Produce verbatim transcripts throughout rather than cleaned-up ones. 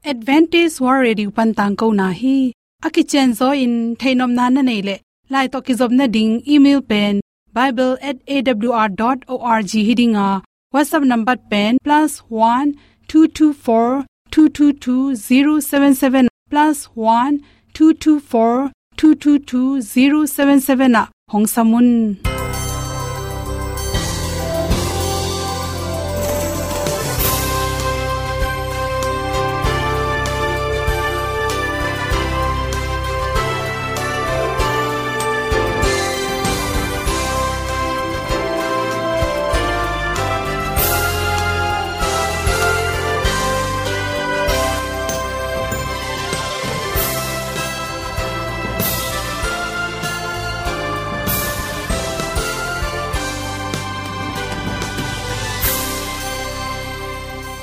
Adventist World Radio pan tangkona hi. A kicianzaw in theihnopna na neih leh, lai tawh kizopna ding email pen bible at A W R dot org hi ding a, WhatsApp number pen plus one two two four two two two zero seven seven, plus one two two four two two two zero seven seven ah hong sam un.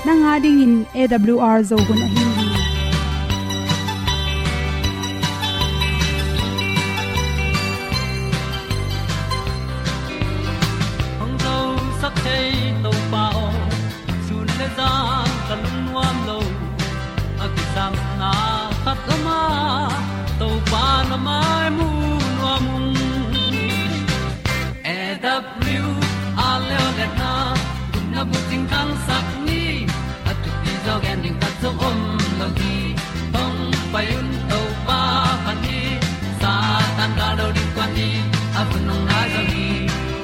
Nang a dingin A W R Zo hun ahi hi. Hong zosak thei Topa aw, sun le zan ka lungnuam lo. A kisapna khat om a, Topa na mai mu nuam ung. A W R Leolehna, gupna bucing thangsak ni, a thupi zaw gen ding khat zong om lo hi. Hong pai un Topa phat ni, Satan gal do ding kuan ni, a hun hong nai zaw hi.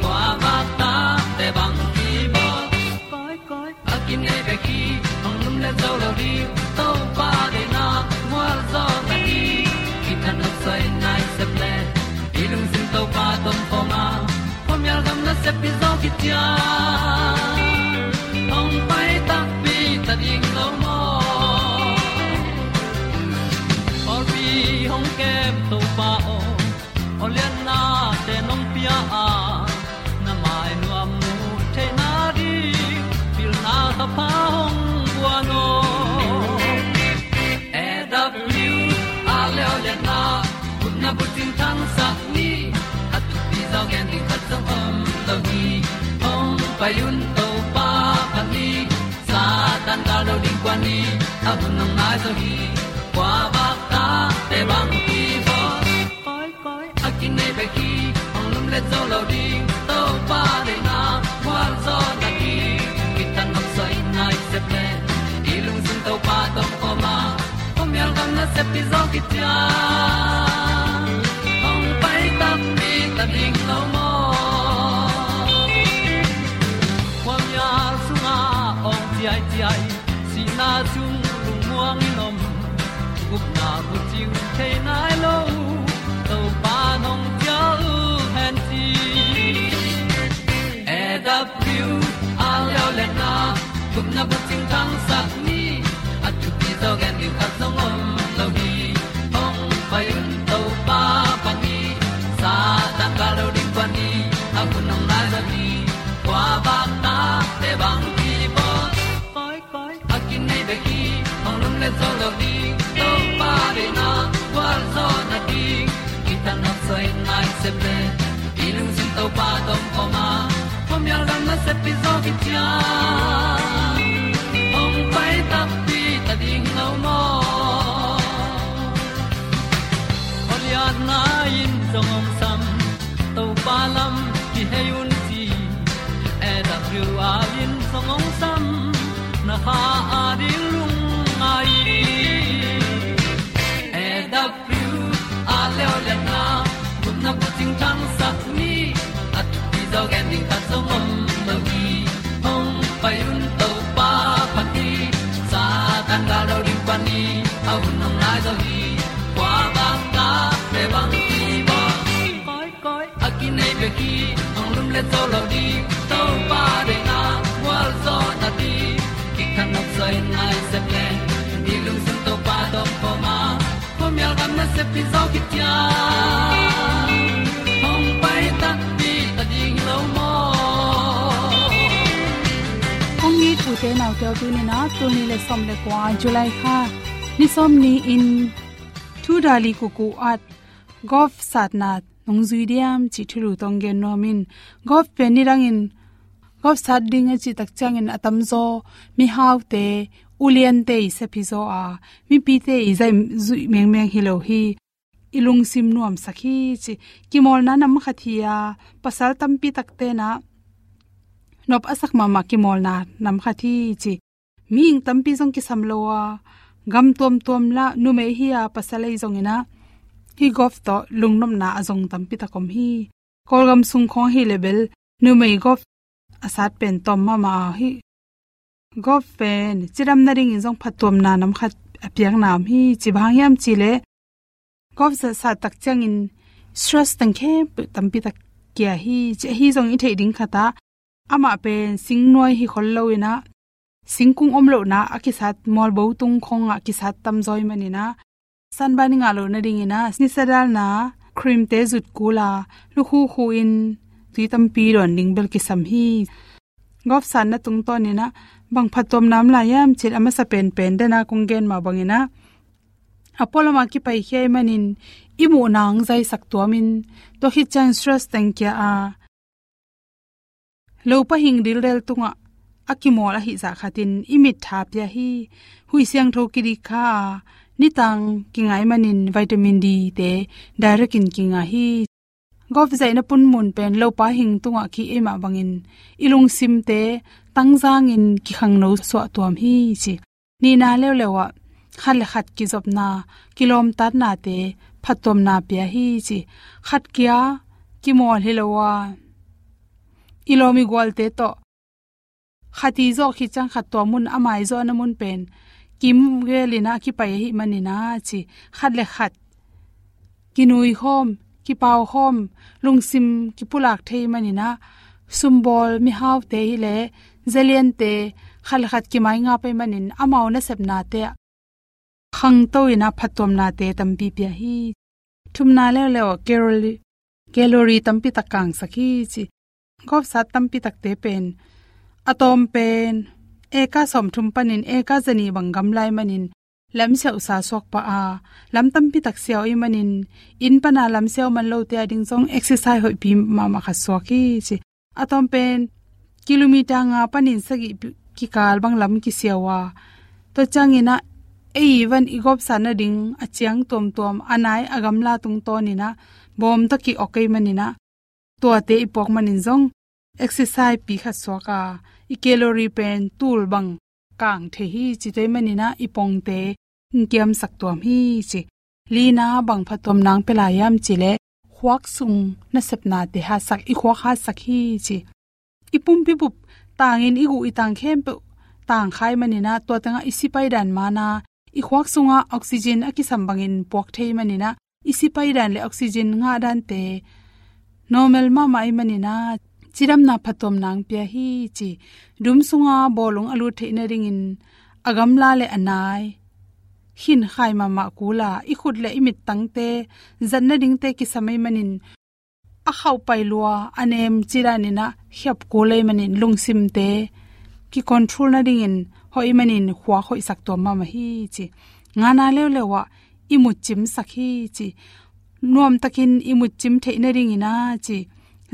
Kua vak tate bang kibawl. Koi, koi. A kinei bek hi, hong lum le zo lo ding, Topa deihna, mual zaw ta hi. Kithat nop soi nai sep le, i lungsim Topa tom khawm a, khuamial gam nasep hi zaw khit ciang, hong pai takpi ta ding lo maw. Pawlpi hong kem Topa aw, awliatnate nong pia a, na mai nuam mu theihna ding, pilna thapha hong guan aw. A W R Leolehna, gupna bucing thangsak ni, a thupi zaw gen ding khat zong om lo hi. Hong pai un Topa phat ni, Satan gal do ding kuan ni, a hun hong nai zaw hi. Kua vak tate bang kibawl. Koi, koi. A kinei bek hi, hong lum le zo lo ding, Topa deihna, mual zaw ta hi. Kithat nop soi nai sep le, i lungsim Topa tom khawm a, khuamial gam nasep hi zaw khit ciang, hong pai takpi ta ding lo maw. Khuamial sungah awng ciaiciai, sihna sung lungmuang in om, gupna bucing thei nai lo, Topa nong cial hen ci. A W R Leolehna, gupna bucing thangsak ni, a thupi zaw gen ding khat zong om lo hi. Hong pai un Topa phat ni, Satan gal do ding kuan ni, a hun hong nai zaw hi. Kua vak tate bang kibawl. Koi, koi. A kinei bek hi, hong lum le zo lo ding, Topa deihna, gualzawhna ding, kithat nop soi nai sep le, i lungsim Topa tom khawm a, khuamial gam nasep hi zaw khit ciang, hong pai takpi ta ding lo maw. Awliatna in zong hong sam, Topa lam kihei un ci. A W R in zong hong sam, na kha a ding lungngai hi. A W R Leolehna, gupna bucing thangsak ni, a thupi zaw gen ding khat zong om lo hi. Hong pai un Topa phat ni, Satan gal do ding kuan ni, a hun hong nai zaw hi. Kua vak tate bang kibawl. Koi, koi. A kinei bek hi, hong lum le zo lo ding, Topa deihna, gualzawhna ding, kithat nop soi nai sep le, i lungsim Topa tom khawm a, khuamial gam nasep hi zaw khit ciang, hong pai takpi ta ding lo maw. Kong it ute naute aw, tuni in ah, tul nih le sawm le kua July kha, ni sawm ni-in Thu Dali Kuku at golf satna nong zui diam cih thulu tawh gen nuam ing. Golf pen nidangin golf sat ding a cih tak ciangin a tamzaw mihaute, uliante i sep hi zaw a, mipite i zai zuih mengmeng hi lo hi. I lungsim nuamsak hi ci. Kimawlna nam khat hi a, pasal tampi takte na nop a sak mahmah kimawlna nam khat hi ci. Mihing tampi zong kisam lo a, gam tuamtuam la numei hi a, pasal ei zongin a, hih golf tawh lungnopna a zong tampi tak om hi. Kawlgam sung khawng hi le bel numei golf a sat pen tawm mahmah a hi. Golf pen cidam nadingin zong phattuamna nam khat a piakna om hi ci. Bang hang hiam ci le, golf sat, sat tak ciangin stress teng khempeuh tampi tak kia hi ci. Ahi zong i theih ding khat ah, amah pen singnuai hi khol lo in a, singkung om lohna a kisat, mualbo tung khawng ah kisat tamzaw ahih manin a, sunburn i ngah loh nadingin a, nisa dalna cream te zut kul a, lukhu khu in tui tampi dawn ding bel kisam hi. Golf satna tungtawnin a, bang phattuamna om lai hiam ci le, a masa penpen den a kong gen mah bangin a, a pualam a kipaikhia ahih manin i muhna hong zaisak tuamin, tua khit ciang stress teng kia a, lopa hing dildel tungah a kimawl ahih zah khatin i mit tha pia hi. Huih siangtho kidik kha a, nitang kinga ahih manin vitamin D te direct in kinga hi. Golf zaihna punmun pen lopa hing tungah ki-ei mah bangin i lungsimte tangzangin kikhangno suah tuam hi ci. Nihna leuleu ah khat le khat kizopna, kilawmtatnate phattuamna pia hi ci. Khat kia kimawl hi lo a, i lawm i gualte tawh khat i zawh khit ciang khat tua mun, a mai zawhna mun pen kim gelin a kipai ahih manin a ci. Khat le khat kinuikhawm, kipaukhawm, lungsim kipulak thei manin a, sumbawl mihaute hi le zaliante khat le khat kimaingap ahih manin amau nasepnate ah khangto in a phattuamnate tampi pia hi. Thumna leuleu ah calorie, calorie tampi tak kangsak hi ci. Golf sat tampi takte pen a tawm pen eka sawmthum panin eka zanih bang gamla ahih manin lam siauhsa suak pah a, lam tampi tak siau ahih manin inn pana lam siau man lote a ding zong exercise hoihpi mahmah khat suak hi ci. A tawm pen kilometer nga panin sagih pi-, kikal bang lam kisiau a, tua ciangin a, ei i van i golf sat nading a ciang tuamtuam, a nai a gamla tungtawnin a bawm tawh ki-ok ahih manin a, tuate i puak manin zong exercise pi khat suak a, i calorie pen tul bang kang thei hi ci. Tua ahih manin a i pongte hong kiamsak tuam hi ci. Lina, bang phattuamna hong pia lai hiam ci le, khuak sung nasepnate hatsak, i khuak hatsak hi ci. I pumpi bup tangin i guh i tang khempeuh tang kha ahih manin a, tua tengah i si paidan man a, i khuak sungah oxygen a kisam bangin puak thei ahih manin a, i si paidan le oxygen ngah dante normal mahmah ahih manin a, cidamna phattuamna hong pia hi ci. Dum sunga bawlung a lut theih nadingin a gamla le a nai khinkhai mahmah kul a, i khut le i mittangte zat nadingte kisam ahih manin a khauhpai lua, a nem cidanin a khiap kul ahih manin lungsimte kicontrol nadingin hoih ahih manin khuak hoihsak tuam mahmah hi ci. Ngana leuleu ah i mut cimsak hi ci. Nuamtakin i mut cim theih nadingin a ci,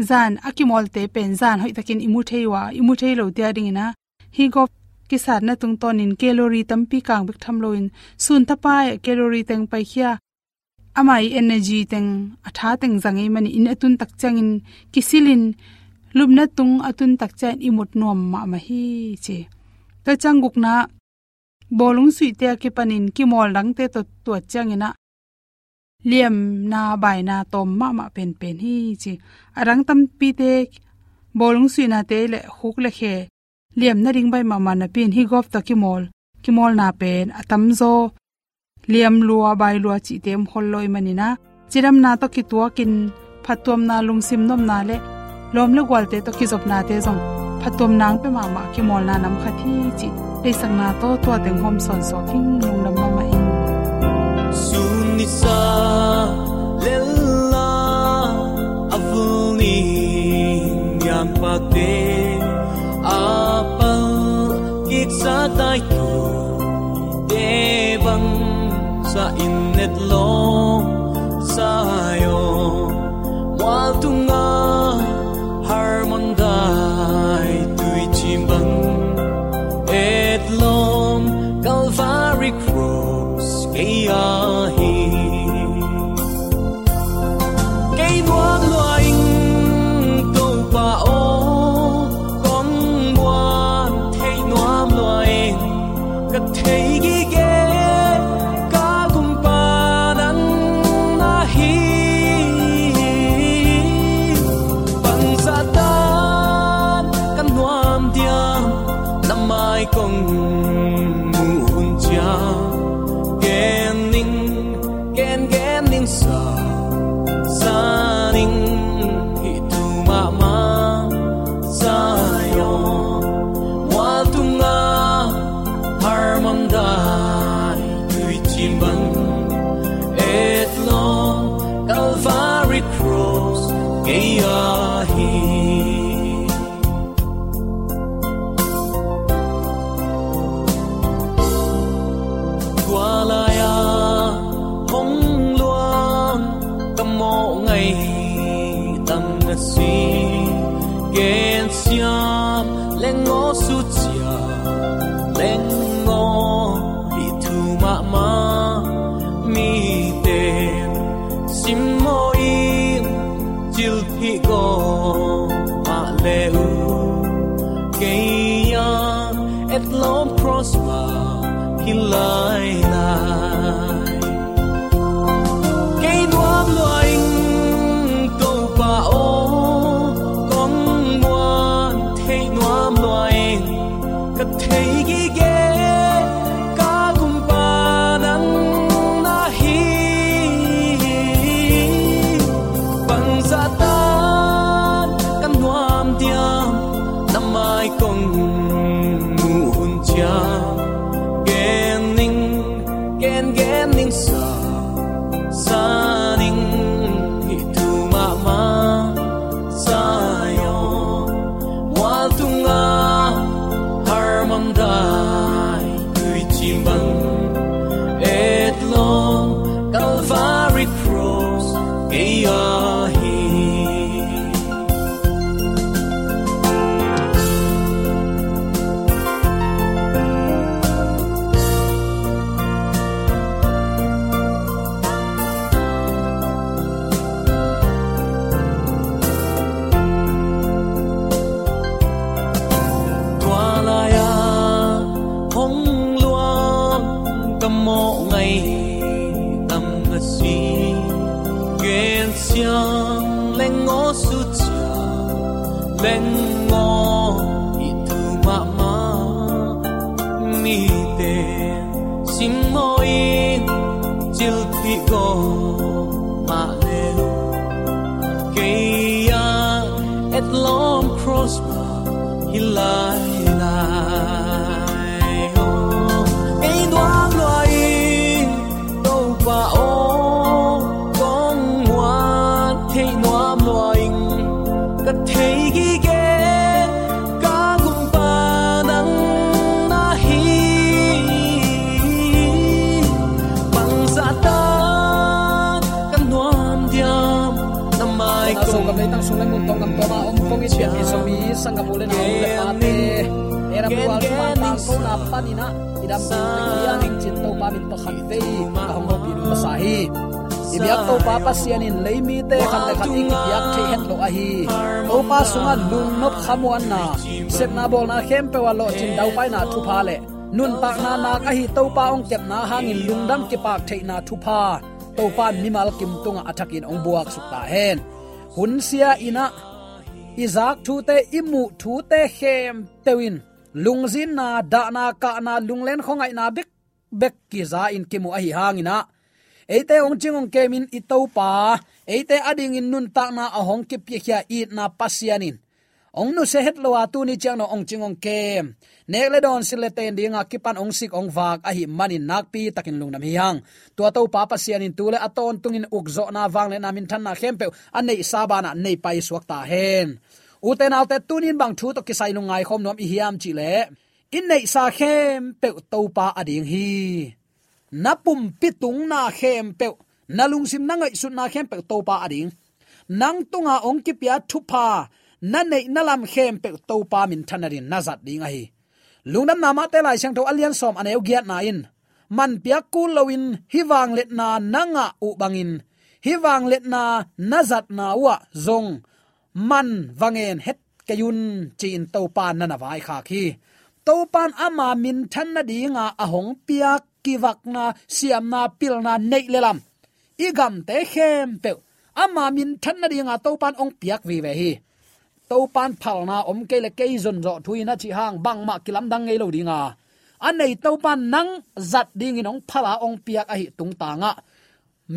zan a kimawlte pen zan hoihtakin i mu thei uh a, i mu thei lote a dingin a, hih golf kisatna tungtawnin calorie tampi kang bek tham loin, sun thapai ah calorie teng paikhia, ama i energy teng, a tha teng zang ahih manin, inn a tun tak ciangin kisilin, lupna tung a tun tak ciangin i mut nuam mahmah hi ci. Tua ciang gukna, bawlung suihte a kipanin kimawl dangte tawh tuat ciangin a, liamna baina tawm mahmah penpen hi ci. A dang tampite, bawlung suihnate le khuk le khe liam nading baih mahmah napi-in, hih golf tawh kimawl, kimawlna pen a tamzaw liam lua, bai lua cihte om khol lo ahih manin a, cidamna tawh kituakin phattuamna, lungsim nopna le lawm le gualte tawh kizopnate zong phattuamna hong pia mahmah kimawlna nam khat hi cih deihsakna tawh tua teng hawm sawnsuak ing. Lungdam mahmah ing. Sun nisa lella a vul ni nian pakte a pal kisa tai tu te bang sa in et lawng sa yo. Mual tunga harmon dai tui cim bang et lawng Ei tam na si, gensiam leng aw, sucia leng aw, hih thu mahmah mite simmaw in, cilphih gaw mah le uh, kei a etlawm cross mah hi lailai. Kei nuam lua ing, Topa aw, kong muan theih nuam lua ing. Ka thei gige ka gumpa nang na hi. Bangzah tan ka nuam diam, na mai kong muh hun ciang. Gen ning, gen gen ning sa, sa ning, hih thu mahmah Zion mual tungah Hermon dai tuicim bang, etlawm Calvary cross kei a hi. Tua lai-a hong luang ka mawh ngai tam na si, gensiam leng aw, sucia leng aw, hih thu mahmah mite simmaw in, cilphih gaw mah le uh, kei a etlawm cross mah hi lailai. Aw, kei nuam lua ing, Topa aw, kong muan theih nuam lua ing. Ka thei gige ka gumpa nang na hi. Bangzah tan ka nuam diam, na mai kong. Ka leitang sung le mun tawng gam tuam a om kong it pian Zomi sanggam u le nau, u le pate, e ram lua, thuman tangkona panin ah i dam ding hi a, hing cin Topa min tawh khat vei ka hong hopih ding masa hi. I biak Topa Pasian in lei mite khat le khat i kipiak theih het lo ahi. Topa sungah lungnop khamuanna, sepna bawlna khempeuh ah lawhcin daupaina thupha le nuntakna nak ahi Topa hong kepna hangin lungdam kipak theihna thupha Topa in mimal kim tungah a thakin hong buaksuk ta hen. Hun sia in ah i zak thute, i muh thute khempeuh in lungzinna, dahna, kahna, lunglen khuangaihna bek bek kiza in kimu ahi hangin ah, eite hong cing hong kemin i Topa, eite adingin nuntakna a hong kipiakhia itna Pasian in hong nusia het lo a, tuni ciang dong hong cing hong kem, nek le dawn, silh le ten dinga kipan hong sik hong vak ahih manin nakpi takin lungdam hi hang. Tua Topa Pasian in tu le a tawntungin ukzawhna, vangliatna, minthanna khempeuh a neihsa banah nei paisuak ta hen. Ute naute, tuni in bang thu tawh kisai lungngai khawm nuam i hiam cih leh, i neihsa khempeuh Topa ading hi. Na pumpi tungna khempeuh, na lungsim, na ngaihsutna khempeuh Topa ading. Nang tunga hong kipia thupha, na neihna lam khempeuh Topa minthan nadingin na zat ding ahi. Lungdamna Mate Lai Siangtho a lian sawm, a neu giatna in, man piak kul loin hih vangliatna na ngah uh bangin, hih vangliatna na zatna uh ah zong man va ngen het kei un, ci-in Topa in na na vaikhak hi. Topa in ama minthan nadinga a hong piak kivakna, siamna, pilna, neih le lam, i gamte khempeuh ama minthan nadinga Topa in hong piak vive hi. Topa in phalna om kei le kei zonzawh thu in a cih hang bangmah kilamdang ngei lo dinga, a nei Topa in nang zat dingin hong phal a hong piak ahih tungtangah,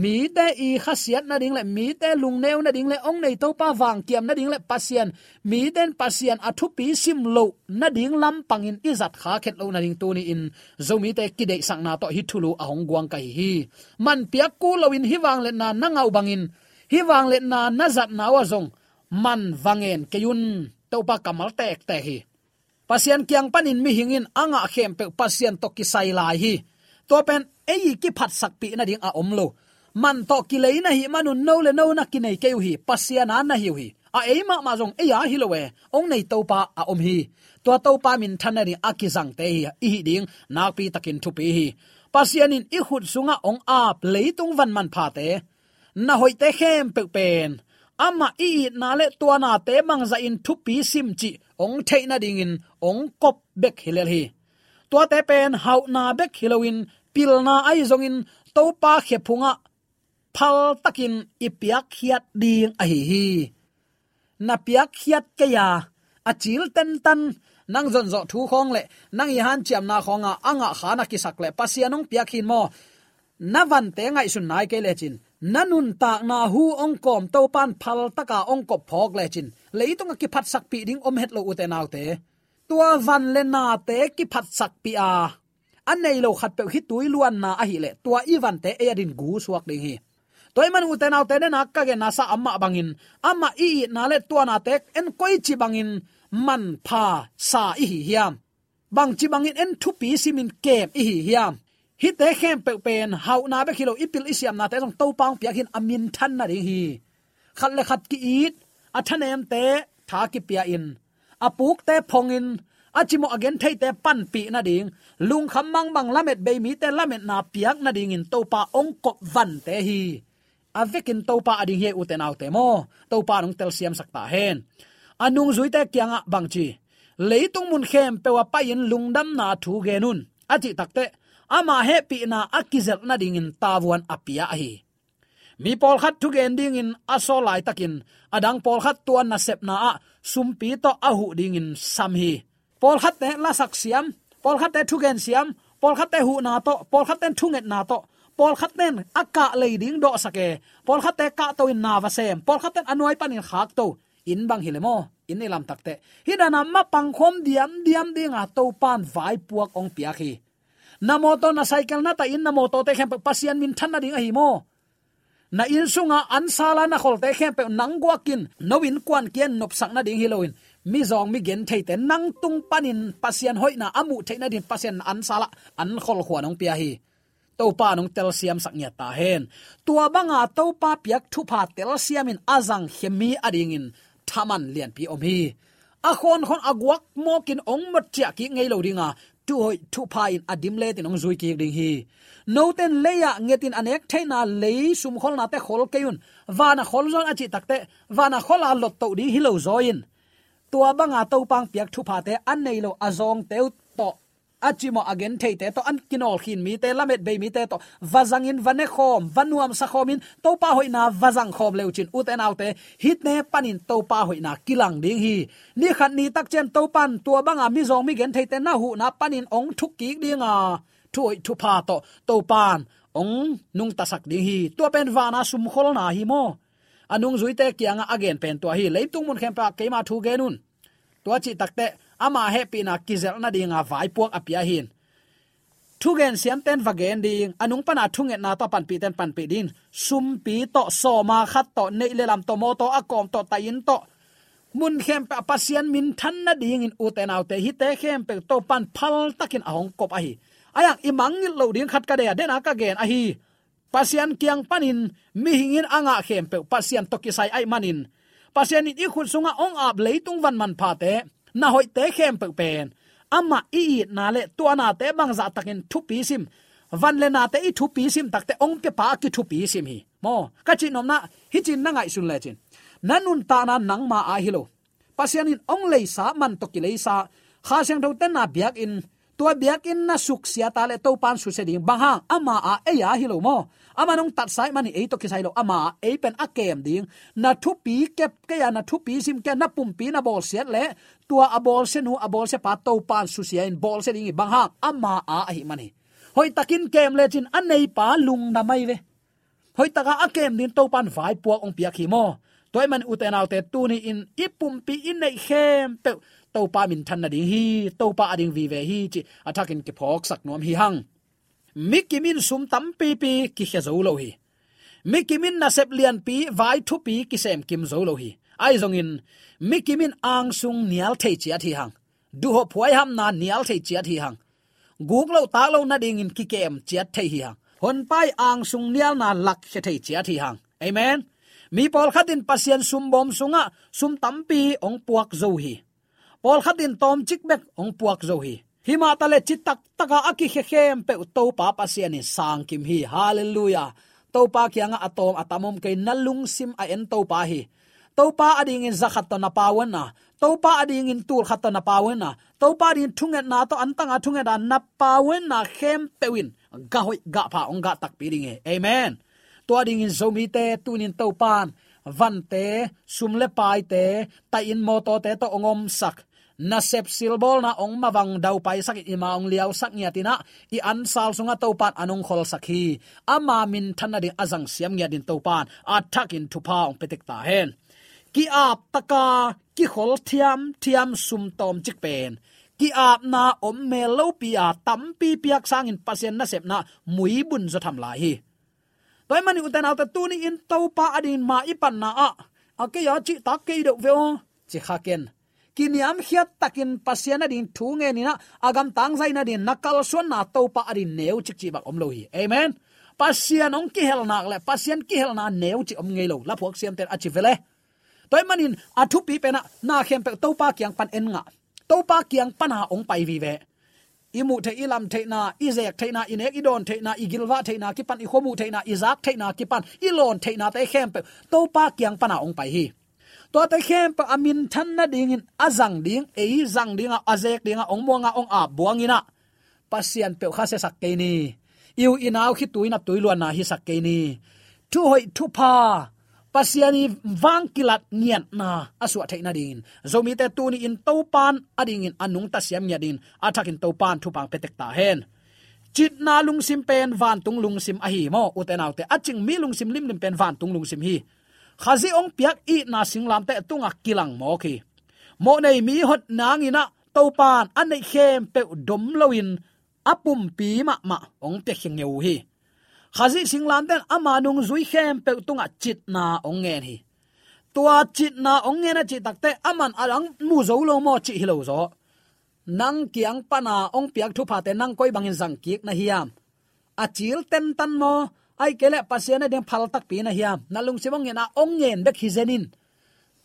mite i khasiat nading le mite lungneu nading le hong nei Topa vangkiam nading le Pasian, mite in Pasian a thupi sim loh nading lampangin i zat khak het loh nading tuni-in Zomite kideihsakna tawh hih thulu a hong guang ka hi hi. Man piak kul loin hih vangliatna na ngah uh bangin, hih vangliatna na zatna uh ah zong man va ngen kei un. Topa kammal tektek hi. Pasian kiang panin mihing in a ngah khempeuh Pasian tawh kisai lai hi. Tua pen ei i kiphatsakpih nading a om lo. man tawh kilei na hih manun no le no na kinei kei uh hi, Pasian a na hi uh hi. A ei mahmah zong ei a hi lo e, hong nei Topa a om hi. Tua Topa minthan nading a kizangte hi, i hih ding nakpi takin thupi hi. Pasian in i khut sungah hong ap leitung van manphate, na hoihte khempeuh pen amah i itna le tua nate bangzahin thupi sim cih hong theih nadingin hong kop bek hi lel hi. Tuate pen hauhna bek hi loin pilna ahi zongin Topa khephungah phaltakin i piakkhiat ding ahi hi. Na piakkhiat kei a, a cil tentan, nang zonzawh thu khawng le nang i hanciamna khawnga a ngahkha na kisak le Pasian hong piak hi maw? Na vante ngaihsun nai kei lecin, na nuntakna hu hong kawm Topan phaltaka hong kop phawk lecin, leitunga kiphatsakpih ding om het lo, ute naute. Tua van le nate kiphatsakpih a, a nei lo khatpeuh hi tui luanna ahih leh tua i vante ei a din gu suak ding hi. Tua ahih manin, ute naute, nena ka genna sa amah bangin, amah i itna le tua nate en koici bangin manpha sa i hi hiam? Bangci bangin en thupi simin kem i hi hiam? Hihte khempeuh pen hauhna bek hi lo, i pil i siamnate zong Topa hong piak hi-in a minthan nading hi. Khat le khat ki-it, a thanemte tha kipia-in, a pukte phongin, a cimawh a gentheite panpih nading, lungkham mangbang lamet bei mite lametna piak nadingin Topa hong kop vante hi. A vekin Topa a ding hi, ute naute maw? Topa in hong telsiamsak ta hen. A nungzuite kiangah bangci, leitung mun khempeuh ah pai-in lungdamna thu gen un, a cih takteh, ama hehpihna a kizelh nadingin tavuan a pia ahi. Mi pawlkhat thugen dingin a sawl laitakin, a dang pawlkhat tua nasepna ah sumpi tawh a huh dingin sam hi. Pawlkhatte lasak siam, pawlkhatte thugen siam, pawlkhatte huhna tawh, pawlkhatte thungetna tawh, pawlkhatte a kah lei ding dawhsak e, pawlkhatte kahto in na va sem, pawlkhatte a nuai panin khakto, inn bang hi le maw, inn i lamtakteh. Hih dana mapang khawm diamdiam dinga Topan vaipuak hong piak hi. Na mawtaw, na cycle, na taih inn, na mawtawte khempeuh Pasian minthan nading ahi maw? Na inn sunga ansala na kholte khempeuh nang guakin, no innkuan kia nopsak nading hi loin, mizawng mi gentheite nang tung panin Pasian hoihna a muh theih nading Pasian na ansala an kholkhuan hong pia hi. Topa in hong telsiamsak ngiat ta hen. Tua banga Topa piak thupha telsiamin a zangkhia mi a dingin thaman lianpi om hi. A khawnkhon a guak mawkin hong mawk ciah kik ngei lo dinga, thuhoih thupha in a dim letin hong zui kik ding hi. Note in lei-ah ngetin a nek theihna lei sumkholnate khol kei un. Vana khol zaw in a cih takteh, vana khola lottoh ding hi lo zaw in, tua banga Topa hong piak thuphate a nei lo a zawngte uh tawh, a cimawh a gentheite tawh, a kinawlkhin mite, lamet bei mite tawh va zangin, va nekhawm, va nuamsa khawmin Topa hoihna va zangkhawm le uhcin, ute naute, hihte panin Topa hoihna kilang ding hi. Ni khat ni tak ciang Topan tua banga mizawng mi gentheite na huhna panin hong thuk kik dinga, thuhoih thupha tawh Topan hong nungtasak ding hi. Tua pen vana sumkholna hi maw? A nungzuite kiangah a gen pen tua hi. Leitung mun khempeuh ah keima thu gen un. Tua cih takteh, ama hehpihna kizelh nadinga vaipuak a pia hi. Thugen siamten va gen ding, a nung pana thungetna tawh panpihten panpih ding, sumpi tawh, sawma khat tawh, neih le lam tawh, mawtaw a kawm tawh, taih inn tawh, mun khempeuh ah Pasian minthan nadingin, ute naute, hihte khempeuh Topan phaltakin a hong kop ahi. Ahi hang i mangngilh loh ding khat ka deih a, dena ka gen ahi. Pasian kiang panin mihing in a ngah khempeuh Pasian tawh kisai ahih manin, Pasian in i khut sungah hong ap leitung van manphate, na hoihte khempeuh pen amah i itna le tua nate bangzahtakin thupi sim, van le nate i thupi sim takteh hong piapa a kithupi sim hi. Maw, ka cih nopna, hih cin na ngaihsun lecin, na nuntakna nangma a hi lo. Pasian in hong leisa, man tawh kileisa, Kha Siangtho tenna biakinn, tua biakinn na suksia ta le Topan susia ding, bang hang, ama a, ei a hi lo maw? Aman hong tatsa ahih manin ei tawh kisai lo, ama a, ei pen a kem ding. Na thupi kep kei a, na thupi sim kei a, na pumpi na bawlsiat le tua a bawlsianu, a bawlsiapa Topan susia in bawlsia ding hi, bang hang, ama a ahih man hi. Hoihtakin kem lecin a neipa lungdam ahi ve. Hoihtaka a kem ding Topan vaipuak hong piak hi maw? Tua ahih manin, ute naute, tuni-in i pumpi i neih khempeuh Topa minthan nading hi, Topa a ding vive hi cih a thakin kiphawksak nuam hi hang. Mi kim in sum tampipi kikhia zo lo hi. Mi kim in nasep lianpi, vai thupi kisemkim zo lo hi. Ahi zongin, mi kim in angsung nial thei ciat hi hang. Duhhop huaihamna nial thei ciat hi hang. Guk loh tak loh nadingin kikem ciat thei hi hang. Honpa i angsung nialna lakkhia thei ciat hi hang. Amen. Mi pawlkhat in Pasian sumbawm sungah sum tampi hong puak zo hi. Pawlkhat in tawmcik bek hong puak zo hi. Himah taleh citak taka a kikhia khempeuh Topa Pasian in sangkim hi. Halleluiah. Topa kiangah a tawm a tam om kei, na lungsim a en Topa hi. Topa adingin zakhat tawh na pauanna, Topa adingin tulkhat tawh na pauanna, Topa adingin thungetna tawh antanga thungetna na pauanna khempeuh in gah hoih gah pha hong gah takpi ding hi. Amen. Tua dingin Zomite tunin Topan vante, sum le paite, tai-in mawtawte tawh hong omsak, nasep silbawlna hong mavang daupaisakin i ma hong liausak ngiatin ah, i ansal sungah Topan an hong kholsak hi. Ama minthan nading a zangsiam ngiatin Topan a thakin thupha hong pia tek ta hen. Ki-ap taka kikhol thiamthiam sum tawmcik pen ki-apna om mel lopi a tampi piak sangin Pasian nasepna muibun zaw tham lai hi. Tua ahih manin ute naute, tuni-in Topa adingin ma i panna ah, a kei a cihtak kei deuh ve aw, ci kha ken. Kiniamkhiat takin Pasian adingin thu ngenin ah, a gamtang zaih nadingin na kalsuanna Topa adingin neucik cih bang om lo hi. Amen. Pasian hong kihel nak leh Pasian kihelna neucik om ngei lo, laphuak siamten a ci ve le. Tua ahih manin a thupi pen ah, na khempeuh Topa kiang pan en ngah. Topa kiang pana hong pai vive. I muh theih, i lam theihna, i zek theihna, i nek i dawn theihna, i gilvah theihna kipan, i khuamuh theihna, i zak theihna kipan, i lawn theihnate khempeuh Topa kiang pana hong pai hi. Tuate khempeuh a minthan nadingin a zang ding, ei zang dingah, a zek dingah, hong muangah, hong ap buangin ah, Pasian peuh kha siasak kei ni. I u i nau khitui naptui luanna hisak kei ni. Thuhoih thupha, Pasian i vang kilat ngiatna a suah theih nadingin, Zomite tuni-in Topan adingin a nungta siam ngiat dingin a thakin Topan thupha hong pia tek ta hen. Citna lungsim pen vantung lungsim ahi maw, ute naute? A cing mi lungsim limlim pen vantung lungsim hi. Khazih hong piak itna singlamteh tungah kilang mawk hi. Mawhnei mi hot nangin ah Topan a neih khempeuh dom loin a pumpi mahmah hong piakhia ngeu hi. Khazih singlamteh in ama nungzui khempeuh tungah citna hong ngen hi. Tua citna hong ngen a cih takteh, aman a dang mu zo lo maw cih hi lo zaw. Nang kiang pana hong piak thuphate nang koi bangin zang kik na hiam? A cil tentan maw? Ahih kei leh Pasian ading phal takpi na hiam? Na lungsim hong ngen a, hong ngen bek hi zen in.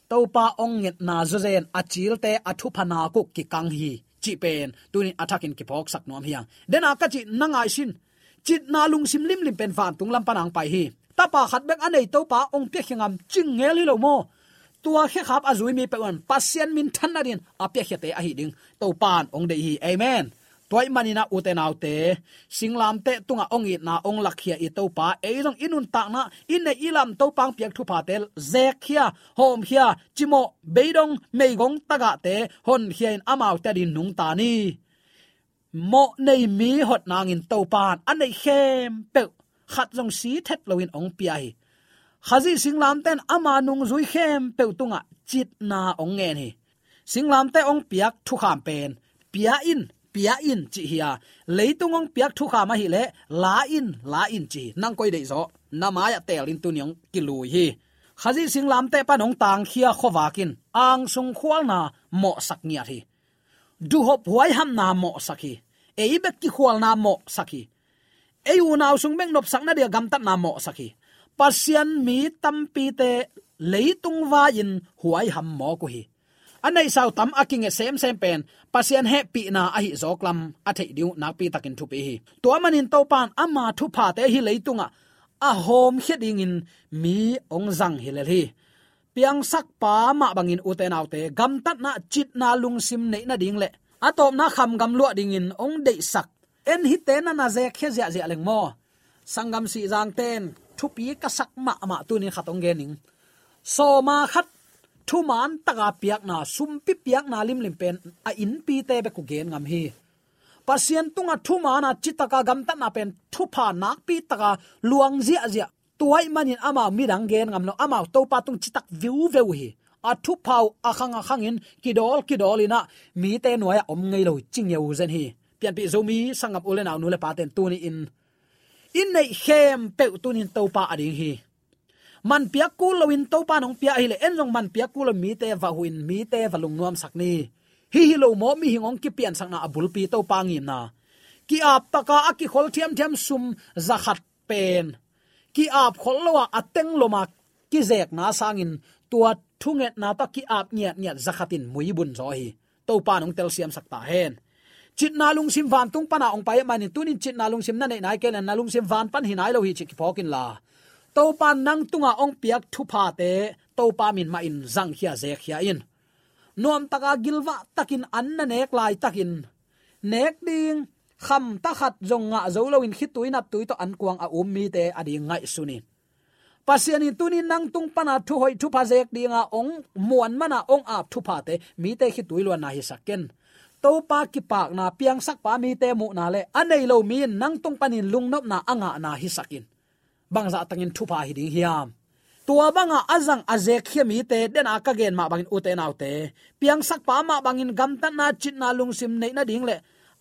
Topa hong ngetna zawzen a cilte a thupha nak uh kikang hi, cih pen tunin a thakin kiphawksak nuam hi hang. Dena ka cih na ngaihsun, citna lungsim limlim pen vantung lam pana hong pai hi. Tapa khat bek a nei Topa hong piakhia ngam cing ngel hi lo maw? Tua khekhap a zui mi peuh in Pasian minthan nadingin a piakhiate ahi ding Topan hong deih hi. Amen. Tua ahih manin ah, ute naute, singlamteh tungah hong itna hong lakkhia i Topa, ei zong i nuntakna, i neih i lam Topa hong piak thuphate zekkhia, hawmkhia, cimawh, beidong, meigong tagahte honkhia in amaute adingin nungta ni. Mawhnei mi hot nangin Topan a neih khempeuh khat zong si thet loin hong pia hi. Khazih singlamteh in ama nungzui khempeuh tungah citna hong ngen hi. Singlamteh hong piak thukham pen, pia in, pia in, cih hi a, leitung hong piak thukham ahih leh, la in, la in, cih hi. Nang koi deih zaw, na mai-ah teel in tuni hong kilui hi. Khazih singlamteh pan hong tangkhia khuavak in angsung khualna mawhsak ngiat hi. Duhhop huaihamna mawhsak hi. Ei bek kikhualna mawhsak hi. Ei unau sung bek nopsak nading a gamtatna mawhsak hi. Pasian mi tampite leitung vai-in huaiham mawk uh hi. A neihsa uh tam a kinget semsem pen Pasian hehpihna ahi zawk lam a theih ding uh nakpi takin thupi hi. Tua manin Topan ama thuphate hih leitungah a hawmkhia dingin mi hong zang hi lel hi. Piangsakpa mah bangin, ute naute, gamtatna, citna lungsim neih nading le a tawpna khamgam luah dingin hong deihsak en hite na na zekkhia ziahziah leng maw? Sanggam Sihzangte in thupi ka sak mahmah tunin khat hong gen ning. Sawma khat thuman taka piakna, sumpi piakna limlim pen a innpite bek uh gen ngam hi. Pasian tungah thuman a citaka gamtatna pen thupha nakpi taka luang ziahziah. Tua ahih manin amau midang gen ngam lo, amau Topa tung citak viuveu hi. A thupha uh a khang a khangin kidawl kidawl in ah mite nuai-ah om ngei lo hi, ci ngeu zen hi. Pianpih Zomi sanggam u le nau, nu le pate in tuni-in i neih khempeuh tunin Topa ading hi. Man piak kul loin Topa in hong pia ahih leh en zong man piak kul lo mite va huh in mite va lungnuamsak ni. Hih hi lo maw mihing hong kipiansakna a bulpi Topa ngimna? Ki-ap taka a kikhol thiamthiam sum zakhat pen ki-ap khol lo a, a teng lom a kizekna sangin tua thungetna tawh ki-ap ngiatngiat zakhat in muibun zaw hi. Topa in hong telsiamsak ta hen. Citna lungsim vantung pana hong pai ahih manin tunin citna lungsim na neih nai kei leh na lungsim van pan hi nai lo hi cih kiphawk inla, Topa in nang tunga hong piak thuphate Topa min mahin zangkhia zekkhia in. Nuamtaka gilvah takin an na nek laitakin nek ding khamta khat zong ngah zo loin khitui naptui tawh ankuang a um mite ading ngaihsun in. Pasian in tunin nang tung pana thuhoih thupha zek dinga hong muan mana hong ap thuphate mite khitui luanna hisak ken. Topa kipakna, piangsakpa mite muhna le a nei lo mi in nang tung panin lungnopna a ngahna hisak in. Bangzah takin thupha hi ding hiam? Tua banga a zang a zekkhia mite dena ka gen mah bangin, ute naute, piangsakpa mah bangin gamtatna, citna lungsim neih nading le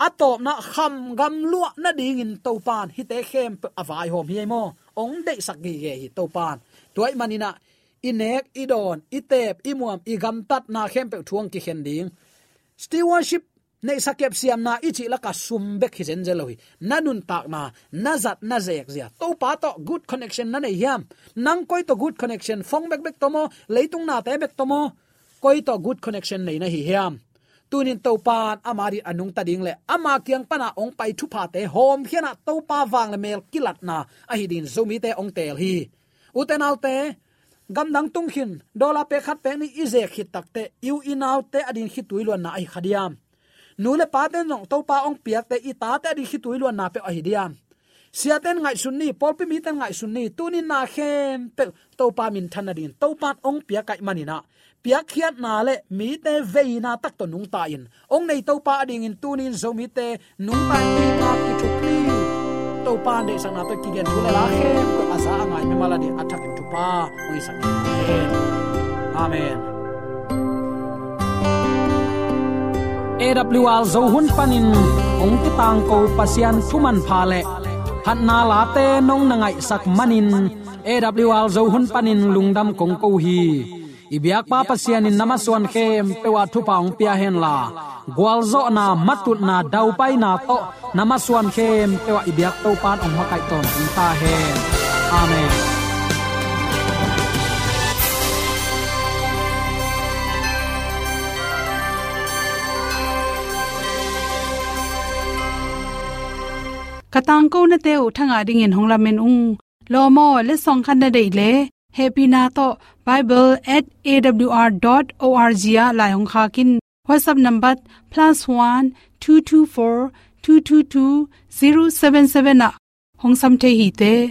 a tawpna kham gam luah nadingin Topa in hihte khempeuh a vaihawm hi ei maw? Hong deihsak gige hi Topa in. Tua ahih maninah i nek, i dawn, i teep, i muam, i gamtatna khempeuh thu hong kikhen ding. Stewardship, neihsa kep siamna i cih laka sum bek hi zenzen lo hi. Na nuntakna, na zat na zekzia, Topa tawh good connection na nei hiam? Nang koi tawh good connection, phone bekbek tawh maw, leitung nate bek tawh maw, koi tawh good connection nei na hi hiam? Tunin Topa in ama adingin a nungta ding le ama kiang pana hong pai thuphate hawmkhiatna, Topa vang le mel kilatna ahi dingin Zomite hong teel hi. Ute naute, gamdang tung khin, dollar pek khat pek nih i zek khit takteh, i u i naute adingin khitui luanna ahi kha diam? Nu le pate in zong Topa hong piakte i tate adingin khitui luanna peuh ahi diam? Siate in ngaihsun ni, pawlpi mite in ngaihsun ni, tunin na khempeuh Topa minthan nadingin Topa in hong piak ahih maninah, piakkhiatna le mite veina tak tawh nungta in hong nei Topa adingin tunin Zomite nungta in itna kithuk ni. Topa in deihsakna tawh kigen thu le la khempeuh a za a ngai mimal adingin a thakin thupha hong hisak ni. Amen. A W R Zo hun panin hong kitangko Pasian thu manpha le phatna late nong na ngaihsak manin A W R Zo hun panin lungdam kong ko hi. I biakpa Pasian in na masuan khempeuh ah thupha hong pia henla, gualzawhna, matutna, daupaina tawh na masuan khempeuh ah i biak Topa in hong makaih tawntung ta hen. Amen. Ka tangkonate uh thangah dingin hong lamen ung. Lawm aw, letsong khat na deih leh hehpihna tawh bible at A W R dot O R G ah lai hong khak in. WhatsApp number plus one two two four two two two zero seven seven ah hong sam thei hi te.